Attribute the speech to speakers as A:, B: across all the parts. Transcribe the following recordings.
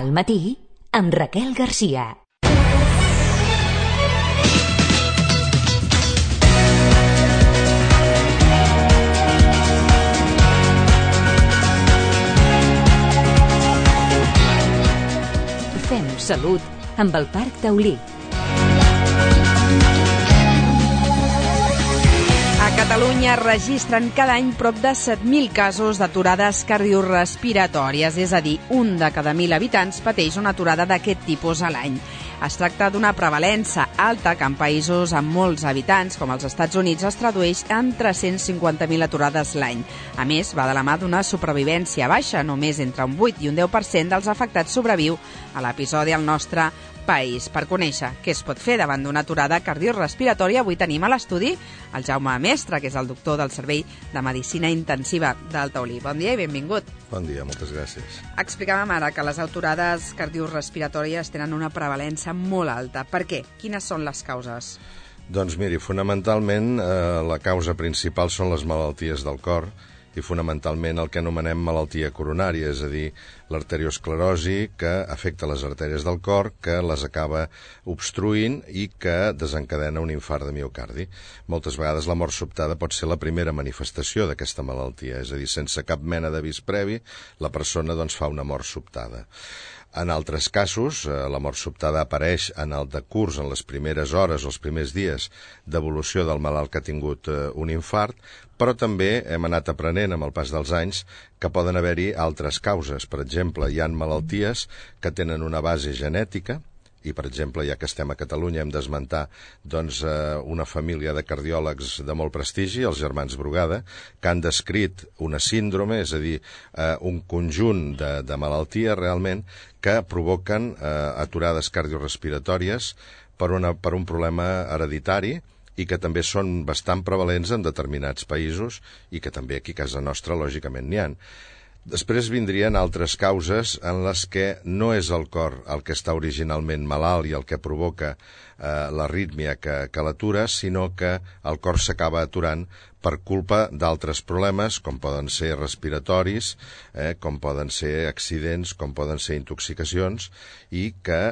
A: Al matí, amb Raquel Garcia. Fem salut amb el Parc Taulí.
B: A Catalunya registren cada any prop de 7.000 casos d'aturades cardiorrespiratòries, és a dir, un de cada 1.000 habitants pateix una aturada d'aquest tipus a l'any. Es tracta d'una prevalença alta que en països amb molts habitants, com els Estats Units, es tradueix en 350.000 aturades l'any. A més, va de la mà d'una supervivència baixa, només entre un 8 i un 10% dels afectats sobreviu a l'episodi al nostre país. Per conèixer què es pot fer davant d'una aturada cardiorrespiratòria, avui tenim a l'estudi el Jaume Mestre, que és el doctor del Servei de Medicina Intensiva del Taulí. Bon dia i benvingut.
C: Bon dia, moltes gràcies.
B: Explicàvem ara que les aturades cardiorrespiratòries tenen una prevalença molt alta. Per què? Quines són les causes?
C: Doncs miri, fonamentalment la causa principal són les malalties del cor i fonamentalment el que anomenem malaltia coronària, és a dir, l'arteriosclerosi que afecta les artèries del cor, que les acaba obstruint i que desencadena un infart de miocardi. Moltes vegades la mort sobtada pot ser la primera manifestació d'aquesta malaltia, és a dir, sense cap mena d'avís previ, la persona doncs fa una mort sobtada. En altres casos, la mort sobtada apareix en el decurs, en les primeres hores o els primers dies d'evolució del malalt que ha tingut un infart, però també hem anat aprenent amb el pas dels anys que poden haver-hi altres causes. Per exemple, hi ha malalties que tenen una base genètica, i, per exemple, ja que estem a Catalunya, hem d'esmentar una família de cardiòlegs de molt prestigi, els germans Brugada, que han descrit una síndrome, és a dir, un conjunt de malalties realment que provoquen aturades cardiorrespiratòries per un problema hereditari i que també són bastant prevalents en determinats països i que també aquí a casa nostra, lògicament, n'hi ha. Després vindrien altres causes en les que no és el cor el que està originalment malalt i el que provoca l'arrítmia que l'atura, sinó que el cor s'acaba aturant per culpa d'altres problemes, com poden ser respiratoris, com poden ser accidents, com poden ser intoxicacions, i que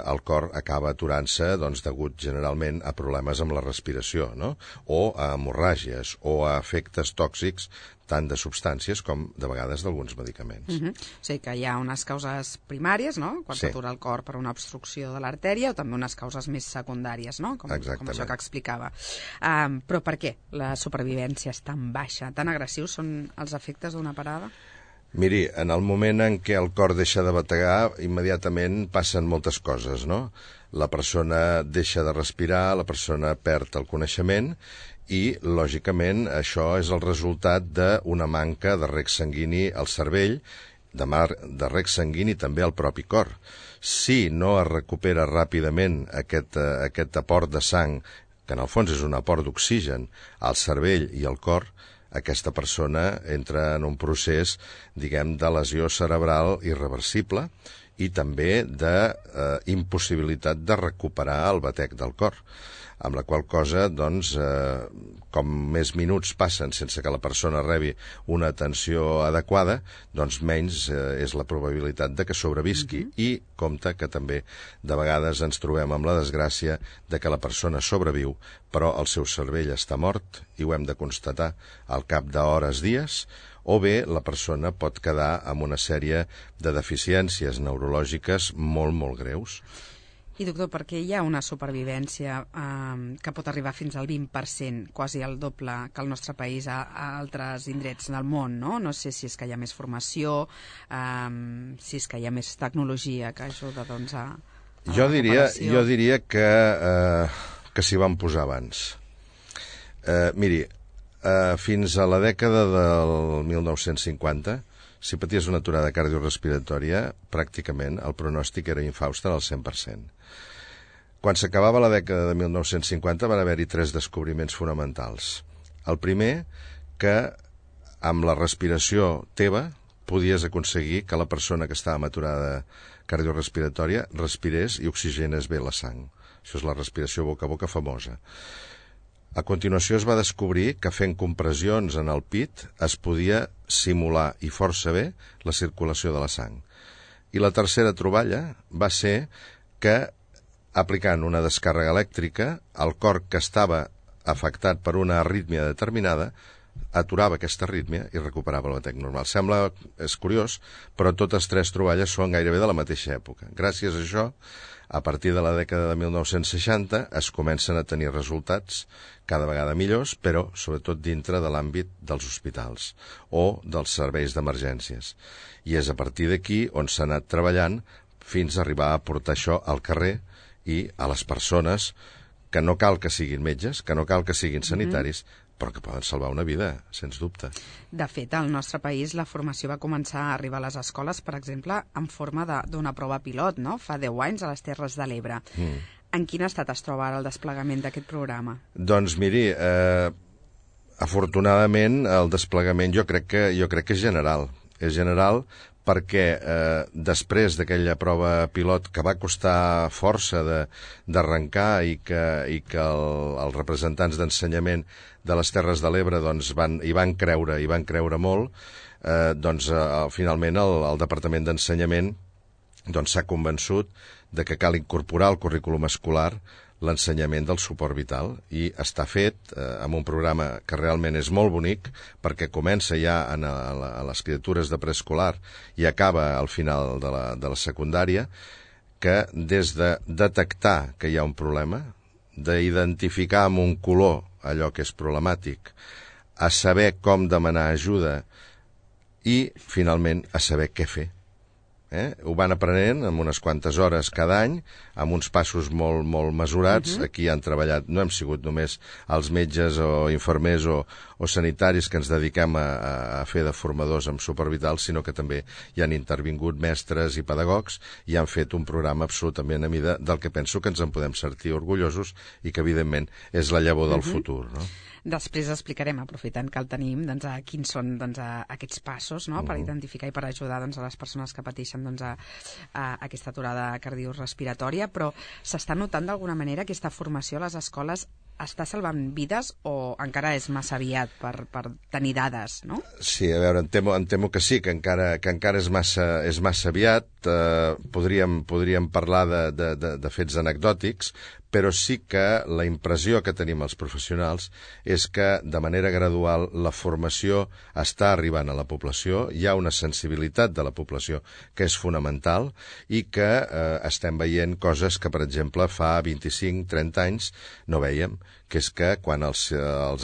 C: el cor acaba aturant-se degut generalment a problemes amb la respiració, no? O a hemorràgies, o a efectes tòxics tant de substàncies com, de vegades, d'alguns medicaments.
B: O sigui que hi ha unes causes primàries, no?, quan s'atura el cor per una obstrucció de l'artèria, o també unes causes més secundàries, no?, com això que explicava. Però per què la supervivència és tan baixa, tan agressius són els efectes d'una parada?
C: Miri, en el moment en què el cor deixa de bategar, immediatament passen moltes coses, no? La persona deixa de respirar, la persona perd el coneixement i, lògicament, això és el resultat d'una manca de reg sanguini al cervell, de reg sanguini també al propi cor. Si no es recupera ràpidament aquest aport de sang, que en el fons és un aport d'oxigen al cervell i al cor, aquesta persona entra en un procés, diguem, de lesió cerebral irreversible i també d'impossibilitat de recuperar el batec del cor. Amb la qual cosa, com més minuts passen sense que la persona rebi una atenció adequada, menys és la probabilitat de que sobrevisqui. I compte que també de vegades ens trobem amb la desgràcia de que la persona sobreviu, però el seu cervell està mort, i ho hem de constatar al cap d'hores, dies, o bé la persona pot quedar amb una sèrie de deficiències neurològiques molt, molt greus.
B: I, doctor, per què hi ha una supervivència que pot arribar fins al 20%, quasi el doble que el nostre país a altres indrets del món, no? No sé si és que hi ha més formació, si és que hi ha més tecnologia que ajuda, a
C: Jo diria que s'hi van posar abans. Miri, fins a la dècada del 1950, si paties una aturada cardiorrespiratòria, pràcticament el pronòstic era infaust al 100%. Quan s'acabava la dècada de 1950 van haver-hi 3 descobriments fonamentals. El primer, que amb la respiració teva podies aconseguir que la persona que estava amb aturada cardiorrespiratòria respirés i oxigenés bé la sang. Això és la respiració boca a boca famosa. A continuació es va descobrir que fent compressions en el pit es podia simular i força bé la circulació de la sang. I la tercera troballa va ser que, aplicant una descàrrega elèctrica, el cor que estava afectat per una arrítmia determinada aturava aquesta arrítmia i recuperava el batec normal. És curiós, però totes tres troballes són gairebé de la mateixa època. Gràcies a això, a partir de la dècada de 1960 es comencen a tenir resultats cada vegada millors, però sobretot dintre de l'àmbit dels hospitals o dels serveis d'emergències. I és a partir d'aquí on s'ha anat treballant fins a arribar a portar això al carrer i a les persones que no cal que siguin metges, que no cal que siguin sanitaris, però que poden salvar una vida, sens dubte.
B: De fet, al nostre país la formació va començar a arribar a les escoles, per exemple, en forma d'una prova pilot, no? Fa 10 anys a les Terres de l'Ebre. En quin estat es troba ara el desplegament d'aquest programa?
C: Doncs miri, afortunadament el desplegament jo crec que és general. És general perquè després d'aquella prova pilot que va costar força d'arrencar i que els representants d'ensenyament de les Terres de l'Ebre doncs, hi van creure molt, finalment el Departament d'Ensenyament s'ha convençut de que cal incorporar al currículum escolar l'ensenyament del suport vital i està fet amb un programa que realment és molt bonic perquè comença ja a les criatures de preescolar i acaba al final de la secundària, que des de detectar que hi ha un problema, d'identificar amb un color allò que és problemàtic, a saber com demanar ajuda i finalment a saber què fer. Ho van aprenent en unes quantes hores cada any, amb uns passos molt, molt mesurats. Aquí han treballat, no hem sigut només els metges o infermers o sanitaris que ens dediquem a fer de formadors amb suport vital, sinó que també hi han intervingut mestres i pedagogs i han fet un programa absolutament a mida del que penso que ens en podem sentir orgullosos i que evidentment és la llavor del futur, no?
B: Després explicarem, aprofitant que el tenim, quins són aquests passos, no?, per identificar i per ajudar a les persones que pateixen a aquesta aturada cardiorrespiratòria, però s'està notant d'alguna manera aquesta formació a les escoles està salvant vides o encara és massa aviat per tenir dades, no?
C: Sí, a veure, em temo que sí, que encara és massa aviat. Podríem parlar de fets anecdòtics, però sí que la impressió que tenim els professionals és que de manera gradual la formació està arribant a la població, hi ha una sensibilitat de la població que és fonamental i que estem veient coses que, per exemple, fa 25-30 anys no veiem, que és que quan els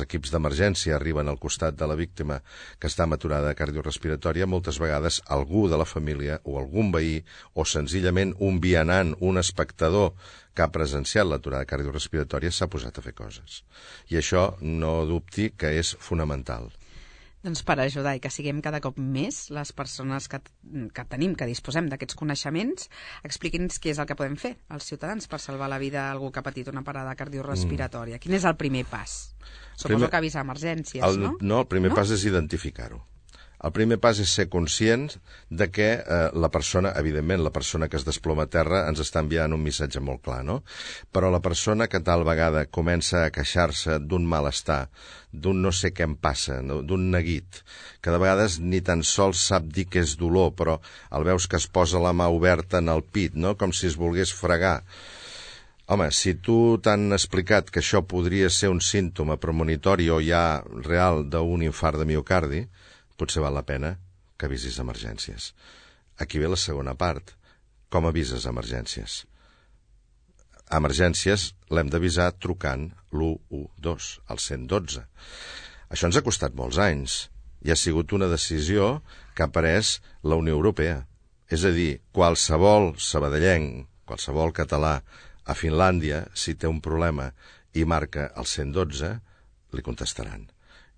C: equips d'emergència arriben al costat de la víctima que està amb aturada cardiorrespiratòria, moltes vegades algú de la família o algun veí o senzillament un vianant, un espectador que ha presenciat l'aturada cardiorrespiratòria s'ha posat a fer coses. I això no dubti que és fonamental.
B: Doncs per ajudar i que siguem cada cop més les persones que tenim, que disposem d'aquests coneixements, expliqui'ns què és el que podem fer els ciutadans per salvar la vida a algú que ha patit una parada cardiorrespiratòria. Quin és el primer pas? Suposo que avisar emergències, no?
C: No, el primer pas és identificar-ho. El primer pas és ser conscient de que la persona, evidentment, la persona que es desploma a terra ens està enviant un missatge molt clar, no? Però la persona que tal vegada comença a queixar-se d'un malestar, d'un no sé què em passa, no? D'un neguit, que de vegades ni tan sols sap dir que és dolor, però el veus que es posa la mà oberta en el pit, no? Com si es volgués fregar. Home, si tu t'han explicat que això podria ser un símptoma premonitori o ja real d'un infart de miocardi, potser val la pena que avisis emergències. Aquí ve la segona part. Com avises emergències? Emergències l'hem d'avisar trucant l'112, al 112. Això ens ha costat molts anys i ha sigut una decisió que ha pres la Unió Europea. És a dir, qualsevol sabadellenc, qualsevol català a Finlàndia, si té un problema i marca el 112, li contestaran.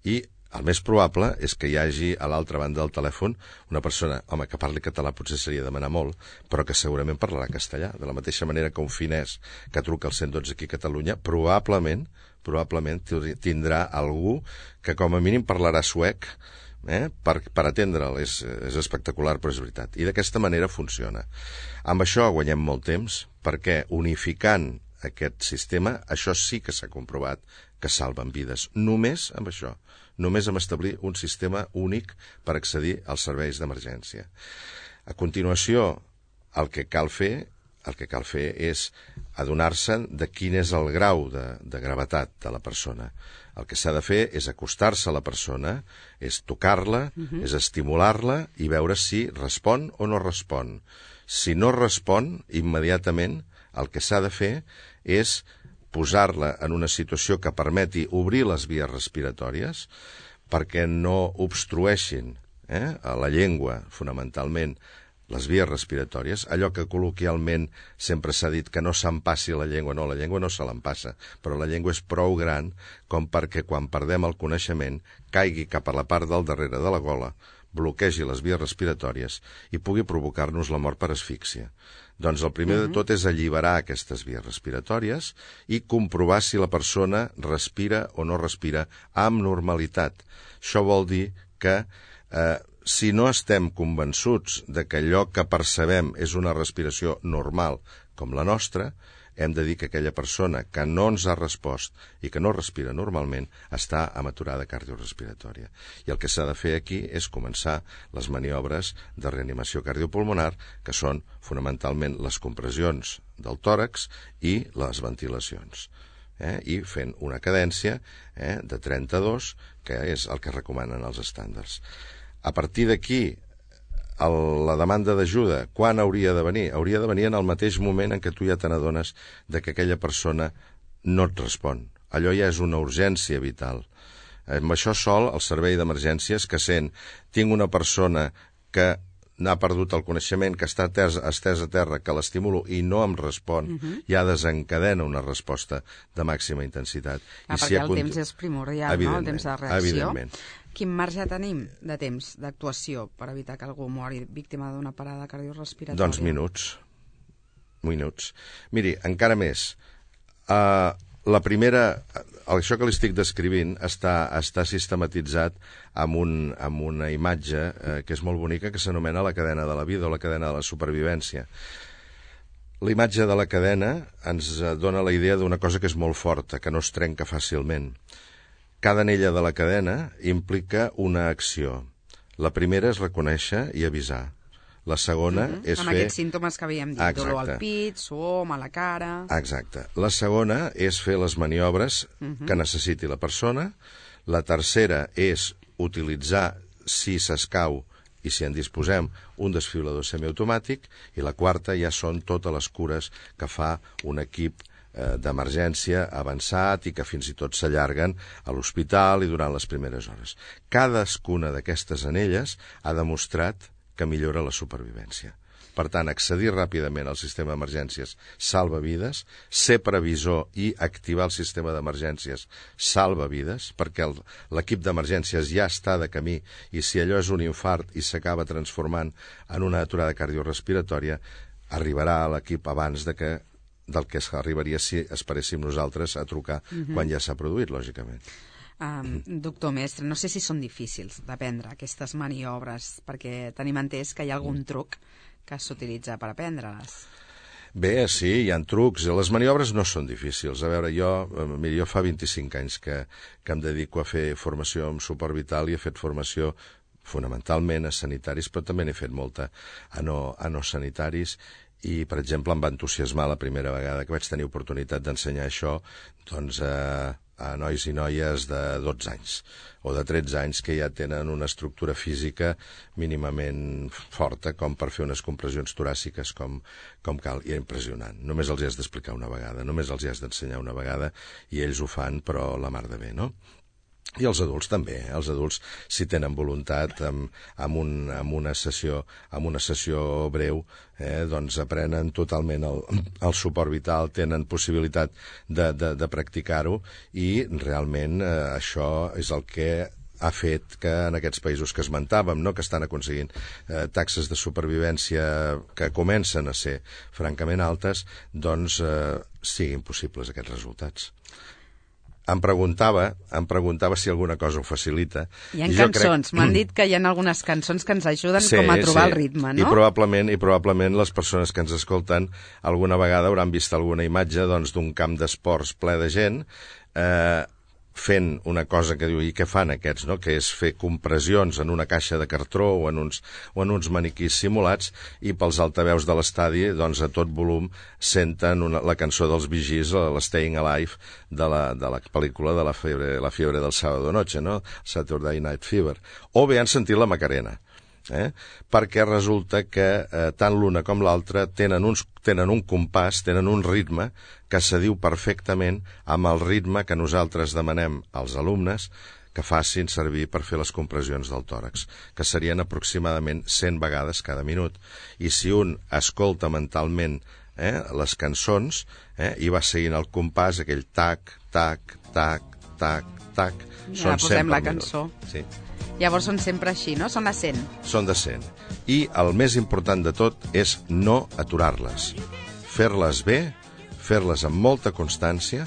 C: I el més probable és que hi hagi a l'altra banda del telèfon una persona, home, que parli català potser seria demanar molt, però que segurament parlarà castellà. De la mateixa manera que un finès que truca al 112 aquí a Catalunya, probablement tindrà algú que com a mínim parlarà suec per atendre'l. És espectacular, però és veritat. I d'aquesta manera funciona. Amb això guanyem molt temps, perquè unificant aquest sistema, això sí que s'ha comprovat que salven vides. Només amb això. Només amb establir un sistema únic per accedir als serveis d'emergència. A continuació, el que cal fer és adonar-se de quin és el grau de gravetat de la persona. El que s'ha de fer és acostar-se a la persona, és tocar-la, és estimular-la i veure si respon o no respon. Si no respon, immediatament el que s'ha de fer és posar-la en una situació que permeti obrir les vies respiratòries perquè no obstrueixin a la llengua, fonamentalment, les vies respiratòries, allò que col·loquialment sempre s'ha dit que no s'empassi la llengua no se l'empassa, però la llengua és prou gran com perquè quan perdem el coneixement caigui cap a la part del darrere de la gola, bloquegi les vies respiratòries i pugui provocar-nos la mort per asfíxia. Doncs el primer de tot és alliberar aquestes vies respiratòries i comprovar si la persona respira o no respira amb normalitat. Això vol dir que si no estem convençuts de que allò que percebem és una respiració normal com la nostra, hem de dir que aquella persona que no ens ha respost i que no respira normalment està amb aturada cardiorrespiratòria. I el que s'ha de fer aquí és començar les maniobres de reanimació cardiopulmonar, que són fonamentalment les compressions del tòrax i les ventilacions. I fent una cadència de 32, que és el que recomanen els estàndards. A partir d'aquí, la demanda d'ajuda, quan hauria de venir? Hauria de venir en el mateix moment en què tu ja te n'adones que aquella persona no et respon. Allò ja és una urgència vital. Amb això sol, el servei d'emergències que sent, tinc una persona que n'ha perdut el coneixement, que està estès a terra, que l'estimulo i no em respon, ja desencadena una resposta de màxima intensitat.
B: Perquè el temps és primordial, no? El temps de reacció.
C: Evidentment.
B: Quin marge tenim de temps d'actuació per evitar que algú mori víctima d'una parada cardiorrespiratòria?
C: Doncs minuts. Miri, encara més. La primera, això que li estic descrivint està sistematitzat amb una imatge que és molt bonica, que s'anomena la cadena de la vida o la cadena de la supervivència. La imatge de la cadena ens dona la idea d'una cosa que és molt forta, que no es trenca fàcilment. Cada anella de la cadena implica una acció. La primera és reconèixer i avisar. La segona és fer...
B: Amb aquests símptomes que havíem dit, dolor al pit, suor, mala cara...
C: Exacte. La segona és fer les maniobres que necessiti la persona. La tercera és utilitzar, si s'escau i si en disposem, un desfibrilador semiautomàtic. I la quarta ja són totes les cures que fa un equip d'emergència avançat i que fins i tot s'allarguen a l'hospital i durant les primeres hores. Cadascuna d'aquestes anelles ha demostrat que millora la supervivència. Per tant, accedir ràpidament al sistema d'emergències salva vides, ser previsor i activar el sistema d'emergències salva vides, perquè l'equip d'emergències ja està de camí i si allò és un infart i s'acaba transformant en una aturada cardiorrespiratòria, arribarà a l'equip abans del que arribaria si esperéssim nosaltres a trucar quan ja s'ha produït, lògicament.
B: Doctor Mestre, no sé si són difícils d'aprendre aquestes maniobres, perquè tenim entès que hi ha algun truc que s'utilitza per aprendre-les.
C: Bé, sí, hi ha trucs. Les maniobres no són difícils. A veure, jo fa 25 anys que em dedico a fer formació en suport vital i he fet formació fonamentalment a sanitaris, però també n'he fet molta a no sanitaris. I, per exemple, em va entusiasmar la primera vegada que vaig tenir oportunitat d'ensenyar això doncs, a nois i noies de 12 anys o de 13 anys que ja tenen una estructura física mínimament forta com per fer unes compressions toràciques com cal. I era impressionant. Només els hi has d'explicar una vegada, només els hi has d'ensenyar una vegada i ells ho fan, però la mar de bé, no? I els adults també, els adults si tenen voluntat amb una sessió breu doncs aprenen totalment el suport vital, tenen possibilitat de practicar-ho i realment això és el que ha fet que en aquests països que esmentàvem, no, que estan aconseguint taxes de supervivència que comencen a ser francament altes, doncs siguin possibles aquests resultats. Em preguntava si alguna cosa ho facilita.
B: Hi ha cançons, m'han dit que hi ha algunes cançons que ens ajuden com a trobar el ritme, no?
C: I probablement les persones que ens escolten alguna vegada hauran vist alguna imatge d'un camp d'esports ple de gent fent una cosa que diu, i què fan aquests, no? Que és fer compressions en una caixa de cartró o en uns maniquís simulats, i pels altaveus de l'estadi, doncs a tot volum senten la cançó dels Bee Gees, l'Staying Alive, de la pel·lícula de la fiebre del sábado noche, no? Saturday Night Fever. O bé han sentit la Macarena. Perquè resulta que tant l'una com l'altra tenen un compàs, tenen un ritme que s'adiu perfectament amb el ritme que nosaltres demanem als alumnes que facin servir per fer les compressions del tòrax, que serien aproximadament 100 vegades cada minut. I si un escolta mentalment les cançons i va seguint el compàs, aquell tac, tac, tac, tac, tac,
B: ja
C: són 100
B: posem
C: per
B: la
C: minut.
B: cançó.
C: Sí.
B: Llavors són sempre així, no? Són de 100.
C: Són de 100. I el més important de tot és no aturar-les. Fer-les bé, fer-les amb molta constància,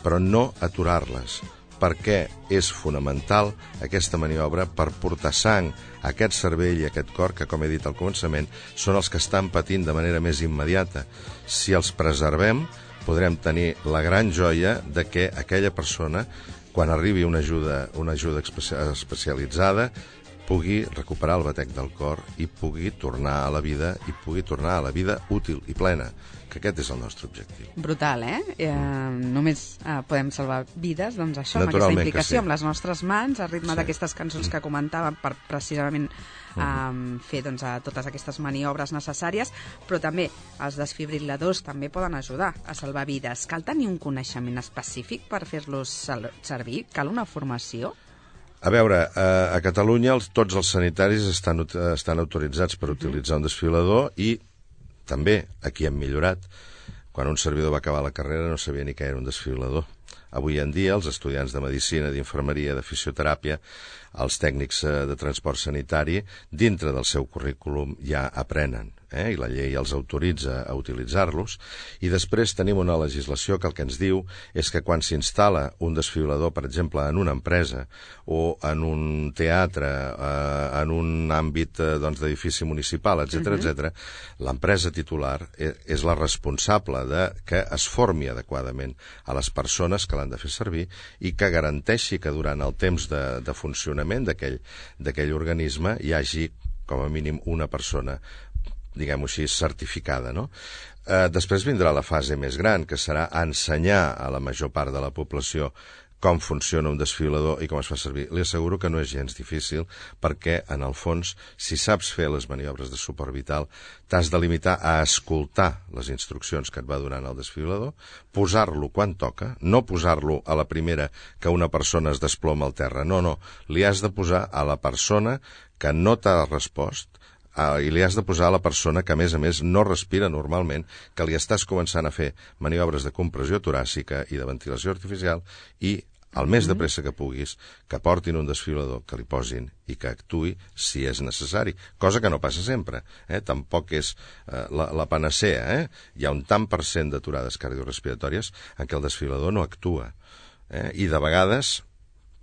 C: però no aturar-les, perquè és fonamental aquesta maniobra per portar sang a aquest cervell i a aquest cor que, com he dit al començament, són els que estan patint de manera més immediata. Si els preservem, podrem tenir la gran joia de que aquella persona, quan arribi una ajuda especialitzada, pugui recuperar el batec del cor i pugui tornar a la vida útil i plena, que aquest és el nostre objectiu.
B: Brutal, només podem salvar vides, doncs això, amb aquesta
C: Naturalment que
B: implicació,
C: sí.
B: amb les nostres mans, al ritme
C: Sí.
B: d'aquestes cançons que comentàvem, per precisament fer totes aquestes maniobres necessàries, però també els desfibril·ladors també poden ajudar a salvar vides. Cal tenir un coneixement específic per fer-los servir? Cal una formació?
C: A veure, a Catalunya tots els sanitaris estan autoritzats per utilitzar un desfibrilador, i també aquí hem millorat. Quan un servidor va acabar la carrera no sabia ni què era un desfibrilador. Avui en dia els estudiants de medicina, d'infermeria, de fisioteràpia, els tècnics de transport sanitari, dintre del seu currículum ja aprenen, i la llei els autoritza a utilitzar-los, i després tenim una legislació que el que ens diu és que quan s'instal·la un desfibrilador, per exemple, en una empresa o en un teatre, en un àmbit d'edifici municipal, etc., l'empresa titular és la responsable de que es formi adequadament a les persones que l'han de fer servir i que garanteixi que durant el temps de funcionament d'aquell organisme hi hagi com a mínim una persona, diguem-ho així, certificada, no? Després vindrà la fase més gran, que serà ensenyar a la major part de la població com funciona un desfibrilador i com es fa servir. Li asseguro que no és gens difícil, perquè, en el fons, si saps fer les maniobres de suport vital, t'has de limitar a escoltar les instruccions que et va donant el desfibrilador, posar-lo quan toca, no posar-lo a la primera que una persona es desploma al terra, no, li has de posar a la persona que no t'ha respost, i li has de posar a la persona que, a més, no respira normalment, que li estàs començant a fer maniobres de compressió toràcica i de ventilació artificial, i el més de pressa que puguis, que portin un desfibrilador, que li posin i que actuï si és necessari, cosa que no passa sempre, tampoc és la panacea, hi ha un tant per cent d'aturades cardiorespiratòries en què el desfibrilador no actua, i de vegades,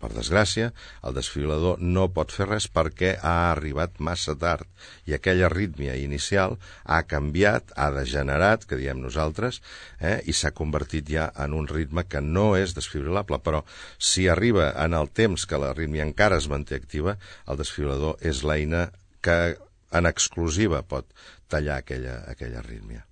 C: per desgràcia, el desfibrilador no pot fer res perquè ha arribat massa tard i aquella arrítmia inicial ha canviat, ha degenerat, que diem nosaltres, i s'ha convertit ja en un ritme que no és desfibrilable, però si arriba en el temps que l'arrítmia encara es manté activa, el desfibrilador és l'eina que en exclusiva pot tallar aquella arrítmia.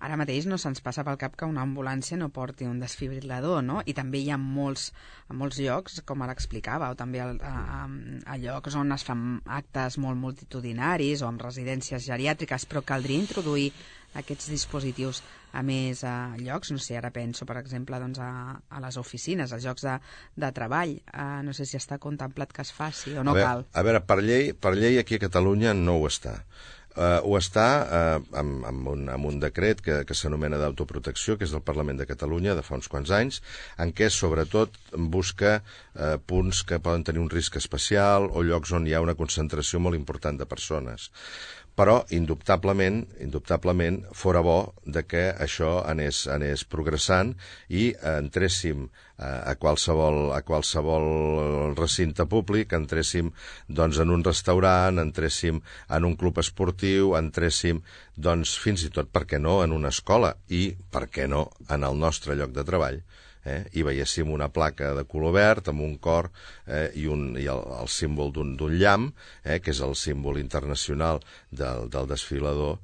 B: Ara mateix no se'ns passa pel cap que una ambulància no porti un desfibrilador, no? I també hi ha molts llocs, com ara explicava, o també a llocs on es fan actes molt multitudinaris o en residències geriàtriques, però caldria introduir aquests dispositius a més llocs. No sé, ara penso, per exemple, a les oficines, als llocs de treball. No sé si està contemplat que es faci o no cal.
C: A veure, per llei aquí a Catalunya no ho està. Ho està amb un decret que s'anomena d'autoprotecció, que és del Parlament de Catalunya de fa uns quants anys, en què sobretot busca punts que poden tenir un risc especial o llocs on hi ha una concentració molt important de persones. Però, indubtablement, fora bo de que això anés progressant i entréssim a qualsevol recinte públic, entréssim en un restaurant, entréssim en un club esportiu, entréssim fins i tot, per què no, en una escola i, per què no, en el nostre lloc de treball. i veiéssim una placa de color verd amb un cor i el símbol d'un llamp, que és el símbol internacional del desfilador,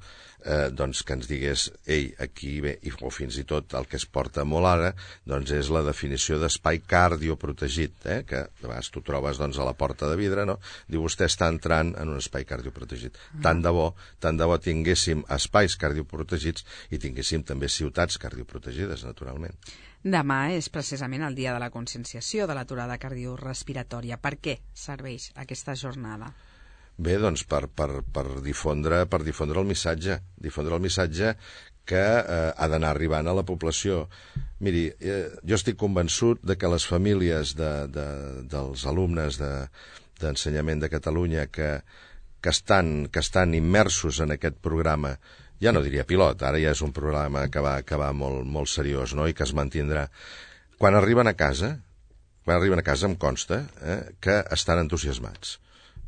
C: doncs que ens digués, ei, aquí bé, o fins i tot el que es porta molt ara, doncs és la definició d'espai cardioprotegit, que de vegades tu trobes doncs, a la porta de vidre, no? Diu, vostè està entrant en un espai cardioprotegit. Tant de bo tinguéssim espais cardioprotegits i tinguéssim també ciutats cardioprotegides, naturalment.
B: Demà és precisament el dia de la conscienciació de l'aturada cardiorrespiratòria. Per què serveix aquesta jornada?
C: Bé, doncs per difondre el missatge que ha d'anar arribant a la població. Miri, jo estic convençut de que les famílies dels alumnes d'ensenyament de Catalunya que estan immersos en aquest programa, ja no diria pilot, ara ja és un programa que va molt seriós, no?, i que es mantindrà. Quan arriben a casa em consta que estan entusiasmats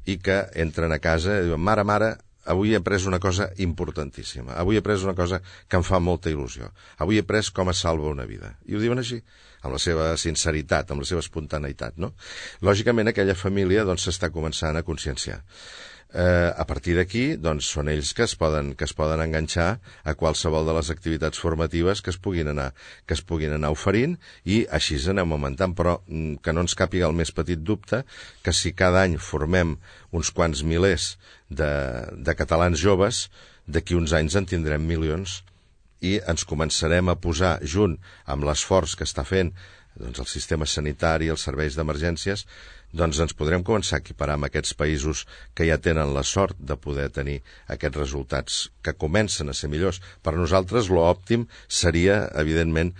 C: i que entren a casa i diuen, mare, avui he après una cosa importantíssima, avui he après una cosa que em fa molta il·lusió, avui he après com es salva una vida. I ho diuen així, amb la seva sinceritat, amb la seva espontaneïtat, no? Lògicament, aquella família doncs s'està començant a conscienciar. A partir d'aquí, doncs, són ells que es poden enganxar a qualsevol de les activitats formatives que es puguin anar oferint, i així anem augmentant, però que no ens càpiga el més petit dubte que si cada any formem uns quants milers de catalans joves, d'aquí uns anys en tindrem milions i ens començarem a posar junt amb l'esforç que està fent doncs, el sistema sanitari i els serveis d'emergències, doncs ens podrem començar a equiparar amb aquests països que ja tenen la sort de poder tenir aquests resultats que comencen a ser millors. Per nosaltres l'òptim seria, evidentment,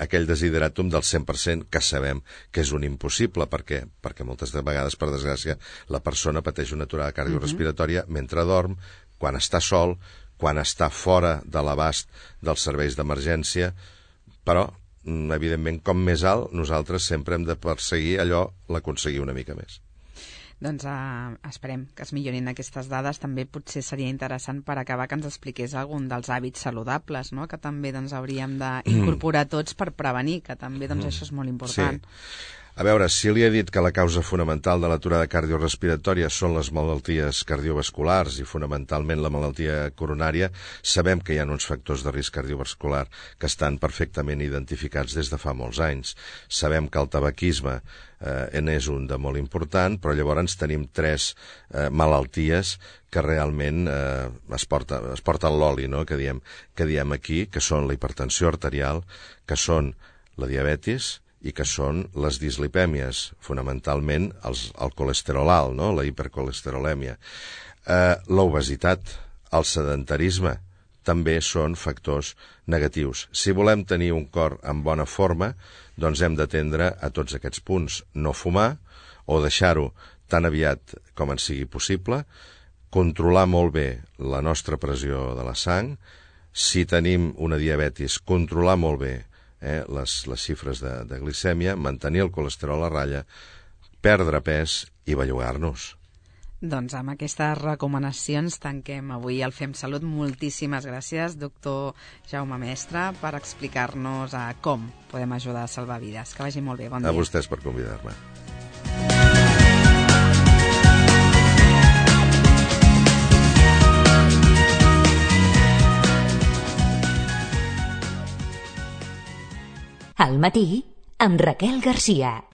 C: aquell desideratum del 100% que sabem que és un impossible, perquè moltes vegades, per desgràcia, la persona pateix una aturada cardiorrespiratòria mentre dorm, quan està sol, quan està fora de l'abast dels serveis d'emergència, però evidentment, com més alt, nosaltres sempre hem de perseguir l'aconseguir una mica més.
B: Doncs esperem que es millorin aquestes dades. També potser seria interessant per acabar que ens expliqués algun dels hàbits saludables, no?, que també doncs, hauríem d'incorporar tots per prevenir, que també doncs, això és molt important.
C: Sí. A veure, si li he dit que la causa fonamental de l'aturada cardiorrespiratòria són les malalties cardiovasculars i fonamentalment la malaltia coronària, sabem que hi ha uns factors de risc cardiovascular que estan perfectament identificats des de fa molts anys. Sabem que el tabaquisme n'és un de molt important, però llavors tenim 3 malalties que realment es porten l'oli, no?, que diem aquí, que són la hipertensió arterial, que són la diabetis i que són les dislipèmies, fonamentalment el colesterol alt, no?, la hipercolesterolèmia. L'obesitat, el sedentarisme, també són factors negatius. Si volem tenir un cor en bona forma, doncs hem d'atendre a tots aquests punts. No fumar, o deixar-ho tan aviat com ens sigui possible, controlar molt bé la nostra pressió de la sang, si tenim una diabetis, controlar molt bé les xifres de glicèmia, mantenir el colesterol a ratlla, perdre pes i bellugar-nos.
B: Doncs amb aquestes recomanacions tanquem avui el Fem Salut. Moltíssimes gràcies, doctor Jaume Mestre, per explicar-nos com podem ajudar a salvar vides. Que vagi molt bé, bon dia.
C: A vostès per convidar-me.
A: Al matí, amb Raquel Garcia.